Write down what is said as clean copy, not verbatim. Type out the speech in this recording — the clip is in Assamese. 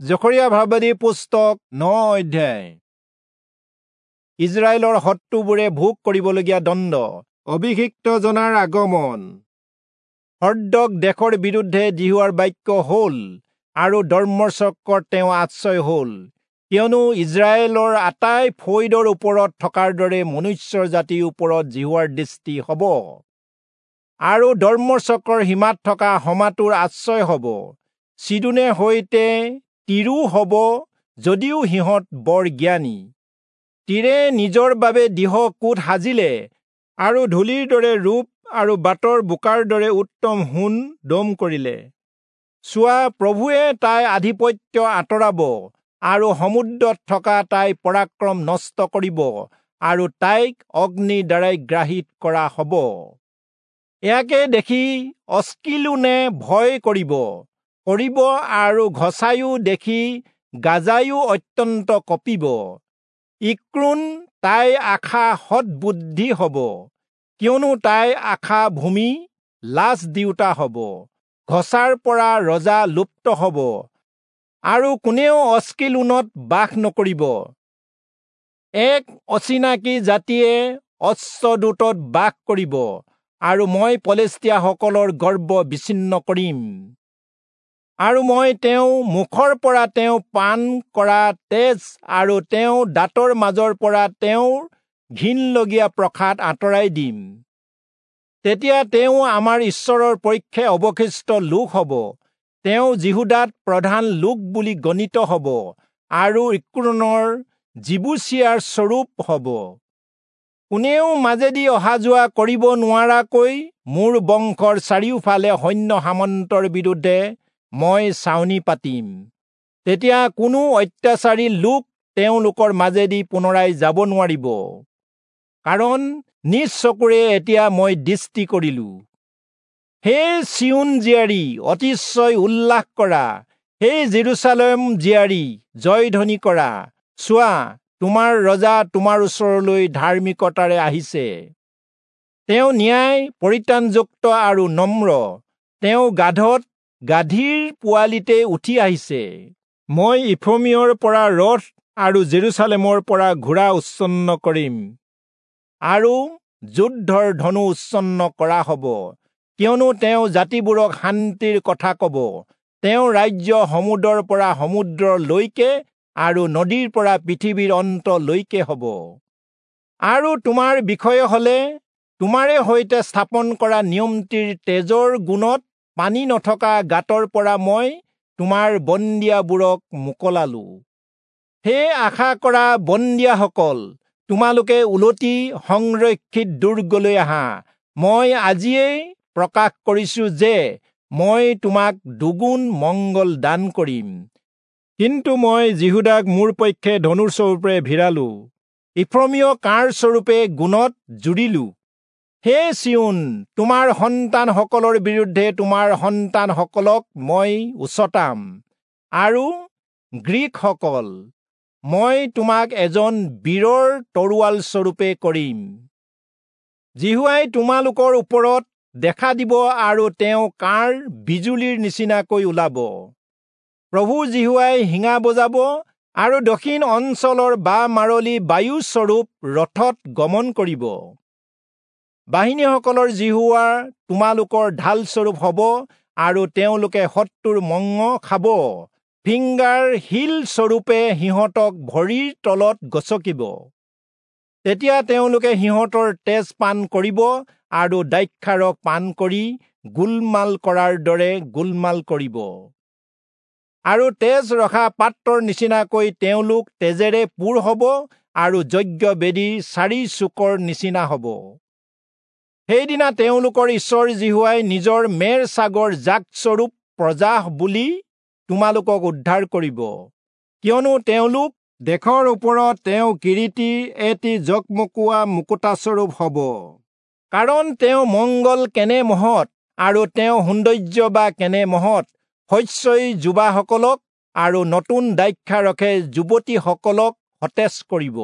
জখৰিয়া ভাৱবাদী পুস্তক 9 অধ্যায়। ইজৰাইলৰ শত্ৰুবোৰে ভোগ কৰিবলগীয়া দণ্ড, অভিষিক্ত জনাৰ আগমন। হৰ্দক দেশৰ বিৰুদ্ধে যিহোৱাৰ বাক্য হ'ল আৰু দম্মেচকত তেওঁ আশ্ৰয় হ'ল, কিয়নো ইজৰাইলৰ আটাই ফৈদৰ ওপৰত থকাৰ দৰে মনুষ্যৰ জাতিৰ ওপৰত যিহোৱাৰ দৃষ্টি হ'ব। আৰু দম্মেচকৰ সীমাত থকা হমাতোৰ আশ্ৰয় হ'ব, চিদোনে সৈতে তিৰো হ'ব, যদিও সিহঁত বৰ জ্ঞানী। তীৰে নিজৰ বাবে দৃঢ় কোট সাজিলে আৰু ধূলিৰ দৰে ৰূপ আৰু বাটৰ বোকাৰ দৰে উত্তম সোণ দম কৰিলে। চোৱা, প্ৰভুৱে তাই আধিপত্য আঁতৰাব আৰু সমুদ্ৰত থকা তাইৰ পৰাক্ৰম নষ্ট কৰিব আৰু তাইক অগ্নিৰ দ্বাৰাই গ্ৰাহিত কৰা হ'ব। ইয়াকে দেখি অস্কিলোনে ভয় কৰিব আৰু ঘচায়ো দেখি গাজায়ো অত্যন্ত কঁপিব। ইক্ৰোণ তাইৰ আশা সৎবুদ্ধি হ'ব, কিয়নো তাইৰ আশা ভূমি লাজ দিওঁতা হ'ব। ঘচাৰ পৰা ৰজা লুপ্ত হ'ব আৰু কোনেও অস্কিলোনত বাস নকৰিব। এক অচিনাকি জাতিয়ে অশ্বদূতত বাস কৰিব আৰু মই পলেষ্টীয়াসকলৰ গৰ্ব বিচ্ছিন্ন কৰিম। আৰু মই তেওঁ মুখৰ পৰা তেওঁ পান কৰা তেজ আৰু তেওঁ দাঁতৰ মাজৰ পৰা তেওঁৰ ঘিণলগীয়া প্ৰসাদ আঁতৰাই দিম। তেতিয়া তেওঁ আমাৰ ঈশ্বৰৰ পক্ষে অৱশিষ্ট লোক হ'ব, তেওঁ যিহূদাত প্ৰধান লোক বুলি গণিত হ'ব আৰু ইক্ৰোণৰ যিবূচীয়াৰ স্বৰূপ হ'ব। কোনেও মাজেদি অহা যোৱা কৰিব নোৱাৰাকৈ মোৰ বংশৰ চাৰিওফালে সৈন্য সামন্তৰ বিৰুদ্ধে মই ছাউনি পাতিম। তেতিয়া কোনো অত্যাচাৰী লোক তেওঁলোকৰ মাজেদি পুনৰাই যাব নোৱাৰিব, কাৰণ নিজ চকুৰে এতিয়া মই দৃষ্টি কৰিলো। হে চিয়োন জীয়াৰী, অতিশয় উল্লাস কৰা, হে জেৰুচালেম জীয়াৰী, জয়ধ্বনি কৰা। চোৱা, তোমাৰ ৰজা তোমাৰ ওচৰলৈ ধাৰ্মিকতাৰে আহিছে। তেওঁ ন্যায় পৰিত্ৰাণযুক্ত আৰু নম্ৰ, তেওঁ গাধত গাধীৰ পোৱালিতে উঠি আহিছে। মই ইফ্ৰয়িমৰ পৰা ৰথ আৰু জেৰুচালেমৰ পৰা ঘোঁৰা উচ্ছন্ন কৰিম আৰু যুদ্ধৰ ধনু উচ্ছন্ন কৰা হ'ব, কিয়নো তেওঁ জাতিবোৰক শান্তিৰ কথা ক'ব। তেওঁ ৰাজ্য সমুদ্ৰৰ পৰা সমুদ্ৰলৈকে আৰু নদীৰ পৰা পৃথিৱীৰ অন্তলৈকে হ'ব। আৰু তোমাৰ বিষয়ে হ'লে তোমাৰে সৈতে স্থাপন কৰা নিয়মটিৰ তেজৰ গুণত পানী নথকা গাঁতৰ পৰা মই তোমাৰ বন্দীয়াবোৰক মোকলালো। হে আশা কৰা বন্দীয়াসকল, তোমালোকে উলটি সংৰক্ষিত দুৰ্গলৈ আহা। মই আজিয়েই প্ৰকাশ কৰিছো যে মই তোমাক দুগুণ মংগল দান কৰিম। কিন্তু মই যিহূদাক মোৰ পক্ষে ধনুস্বৰূপে ভিৰালো, ইফ্ৰয়িমক কাঁড়স্বৰূপে গুণত জুৰিলো। হে চিয়োন, তোমাৰ সন্তানসকলৰ বিৰুদ্ধে তোমাৰ সন্তানসকলক মই উচটাম, আৰু গ্ৰীকসকল, মই তোমাক এজন বীৰৰ তৰোৱাল স্বৰূপে কৰিম। যিহোৱাই তোমালোকৰ ওপৰত দেখা দিব আৰু তেওঁ কাঁড় বিজুলীৰ নিচিনাকৈ ওলাব। প্ৰভু যিহোৱাই শিঙা বজাব আৰু দক্ষিণ অঞ্চলৰ বা মাৰলি বায়ুস্বৰূপ ৰথত গমন কৰিব। বাহিনীসকলৰ যিহোৱা তোমালোকৰ ঢালস্বৰূপ হ'ব আৰু তেওঁলোকে শত্ৰুৰ মঙহ খাব, ফিংগাৰ শিল স্বৰূপে সিহঁতক ভৰিৰ তলত গচকিব। তেতিয়া তেওঁলোকে সিহঁতৰ তেজ পান কৰিব আৰু দ্ৰাক্ষাৰস পান কৰি গোলমাল কৰাৰ দৰে গোলমাল কৰিব। আৰু তেজ ৰখা পাত্ৰৰ নিচিনাকৈ তেওঁলোক তেজেৰে পূৰ হ'ব আৰু যজ্ঞ বেদীৰ চাৰি চুকৰ নিচিনা হ'ব। সেইদিনা তেওঁলোকৰ ঈশ্বৰ যিহোৱাই নিজৰ মেৰ ছাগৰ জাকস্বৰূপ প্ৰজা বুলি তোমালোকক উদ্ধাৰ কৰিব, কিয়নো তেওঁলোক দেশৰ ওপৰত তেওঁ কিৰীটিৰ এটি জকমকোৱা মুকুতাস্বৰূপ হ'ব। কাৰণ তেওঁ মংগল কেনে মহৎ আৰু তেওঁ সৌন্দৰ্য বা কেনে মহৎ, শস্যই যুৱাসকলক আৰু নতুন দ্ৰাক্ষাৰসে যুৱতীসকলক সতেজ কৰিব।